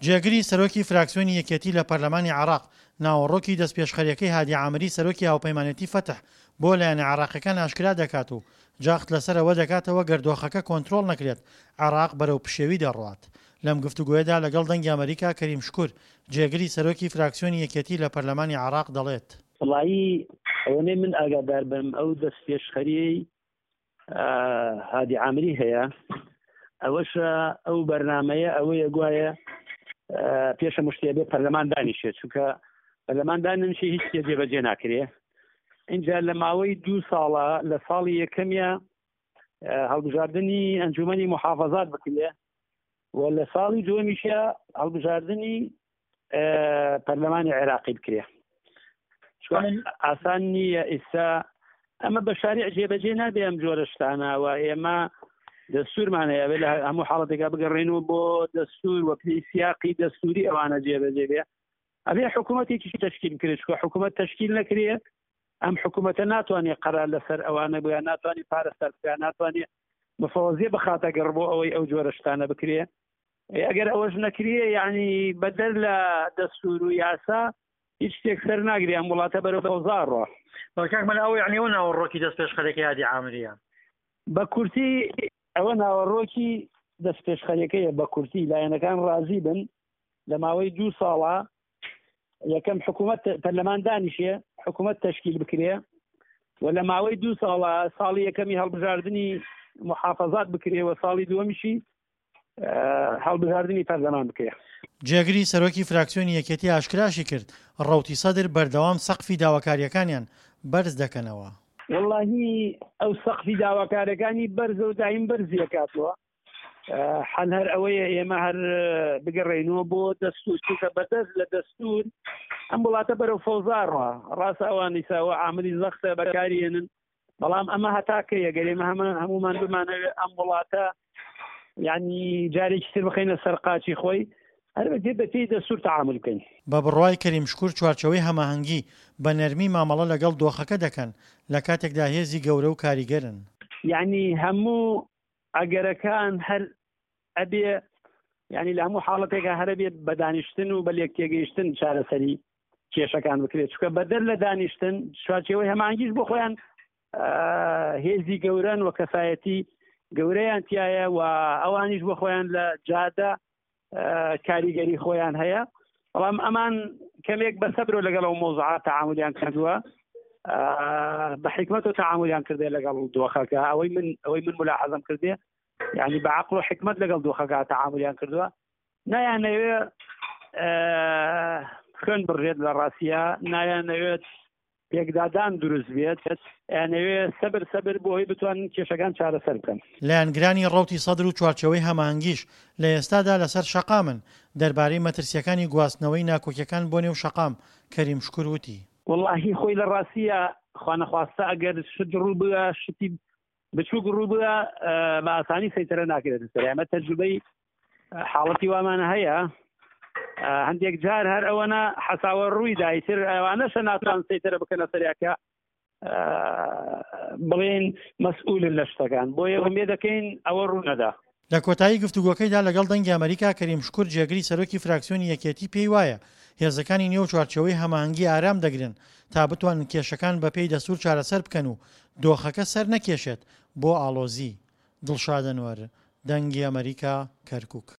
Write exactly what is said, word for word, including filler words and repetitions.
جێگری سەرۆکی فراکسیۆنی یەکێتی لە پەرلەمانی عێراق، ناوەڕۆکی دەستپێشخەرییەکەی هادی عامری سەرۆکی هاوپەیمانێتی فەتح بۆ لایەنە عێراقیەکان ئاشکرا دەکات و جەخت لەسەر ئەوە دەکاتەوە گەر دۆخەکە کۆنترۆڵ نەکرێت عێراق بەرەو پشێوی دەڕوات. لەم گفتوگۆیەدا لەگەڵ دەنگی ئەمەریکا کەریم شکور، جێگری سەرۆکی فراکسیۆنی یەکێتی لە پەرلەمانی عێراق دەڵێت. وەڵایی ئەوەنەی من ئاگادار بم ئەو دەستپێشخەریەی هادی عامری هەیە ئەوەشە ئەو بەرنمەیە ئەوەیە گوایە پێشە مشتێ بێ پەرلەمان دانیشێت چونکە پەرلەمان دانیشی هیچ شتێ جێبەجێ ناکرێ. اینجا لە ماوەی دوو ساڵە لە ساڵی یەکەمیە هەڵبژاردنی ئەنجومەنی محافظات بکرێ و لە ساڵی دووەمیشە هەڵبژاردنی پەرلەمانی عێراقی بکرێ. ئاسان نییە ئێستا ئەمە بە شارع جێبەجێ نابێ ئەم جۆرە شتانە و ئێمە دەستورمان هەیە بێ لە هەموو حاڵەتێکا بگەڕێنەوە بۆ دەستور و پێی سیاقی دەستوری ئەوانە جێبەجێ بێ. ئەبێ حکوومەتێکی تەشکیل بکرێت، چونکە حکوومەت تەشکیل نەکرێت ئەم حکوومەتە ناتوانێت قەرار لەسەر ئەوانە بووە، ناتوانێت پارە سەرف بکات، ناتوانێت مفەوەزیە بخاتە گەڕ بۆ ئەوەی ئەو جۆرە شتانە بکرێ. ئەگەر ئەوەش نەکرێ یعنی بەدەر لە دەستور و یاسا هیچ شتێک سەر ناگرێ، ئەم وڵاتە بەرەو فەوزا ڕۆ. بەڵێ کاک مەلا، ئەوە یعنی ئەوە ناوەڕۆکی دەستپێشخەرێکی هادی عامریە؟ بە کورتی ئەوە ناوەڕۆکی دەستپێشخەرەکەیە. بە کورتی لایەنەکان ڕازی بن لە ماوەی دوو ساڵە یەکەم حکوومەت پەرلەمان دانیشێ، حکوومەت تەشکیل بکرێ و لە ماوەی دوو ساڵە ساڵی یەکەمی هەڵبژاردنی محافظات بکرێ و ساڵی دووەمیشی هەڵبژاردنی پەرلەمان بکرێ. جێگری سەرۆکی فراکسیۆنی یەکێتی ئاشکراشی کرد ڕەوتی سەدر بەردەوام سەقفی داواکاریەکانیان بەرز دەکەنەوە. وەڵاهی ئەو سەقفی داواکارەکانی بەرزە و دایم بەرزیەکاتەوە. حەل هەر ئەوەیە ئێمە هەر بگەڕێینەوە بۆ دەستور، چونکە بەدەست لە دەستور ئەم وڵاتە بەرەو فەوزا ڕوا. ڕاستە ئەوان ئیساوە عاملی زەختە بەکاریێنن، بەڵام ئەمە هەتاکەیە گەر ئێمە هەمومان بمانەوێت ئەم وڵاتە یعنی جارێکی تر بخەینە سەر قاچی خۆی، هەر بەپێ بەپێی دەستور تەعامل بکەین. بە بڕوای کەریم شکور چوارچەوەی هەماهەنگی بە نەرمی مامەڵە لەگەڵ دۆخەکە دەکەن لە کاتێکدا هێزی گەورە و کاریگەرن. یعنی هەموو ئەگەرەکان هەر ئەبێ یعنی لە هەموو حاڵەتێکا هەر ئەبێ بە دانیشتن و بە لێک تێگەیشتن چارەسەری کێشەکان بکرێت، چونکە بەدەر لە دانیشتن چوارچێوەی هەماهەنگیش بۆ خۆیان هێزی گەورەن و کەسایەتی گەورەیان تایە و ئەوانیش بۆ خۆیان لە جادە کاریگەری خۆیان هەیە. بەڵام ئەمان کەمێک بە سەبر و لەگەڵ ئەو مۆزعات تەعاملیان کردووە، بە حکمت و تەعاملیان کردێ لەگەڵ دۆخەکە. ئەوەی من ئەوەی من ملاحەزەم کردێ یعنی بە عەقڵ و حکمت لەگەڵ دۆخەکە تەعاملیان کردووە. نایانەوێ خوێن بڕێت لە ڕاستیە، نایانەوێت پێکدادان دروست بێت، ئەیانەوێ سەبر سەبر بۆ ئەوەی بتوانن کێشەکان چارەسەر بکەن. لایەنگرانی ڕەوتی سەدر و چوارچێوەی هەماهەنگیش لە ئێستادا لەسەر شەقامن. دەربارەی مەترسیەکانی گواستنەوەی ناکۆکیەکان بۆ نێو شەقام، کەریم شکور وتی: وەڵاهی خۆی لە ڕاستیە خوانەخواستە ئەگەر شت ڕوو بگا، شتی بچووک ڕوو بگا بە ئاسانی سەیتەرە ناکرێت سەر. ئەمە تەجروبەی حاڵەتی وامانە هەیە، هەندێک جار هەر ئەوەنە حەساوە ڕووی دایتر ئەوانەشە ناتوان سەیتەرە بکەنە سەریاکە بڵێن مەسئولن لە شتەکان، بۆیە ئومێد دەکەین ئەوە ڕوو نەدا. لە کۆتایی گفتوگۆکەیدا لەگەڵ دەنگی ئەمەریکا کەریم شکور جێگری سەرۆکی فراکسیۆنی یەکێتی پێی وایە هێزەکانی نێو چوارچێوەی هەماهەنگی ئارام دەگرن تا بتوانن کێشەکان بەپێی دەستور چارەسەر بکەن و دۆخەکە سەر نەکێشێت بۆ ئاڵۆزی. دڵشاد ئەنوەر، دەنگی ئەمەریکا، کەرکوک.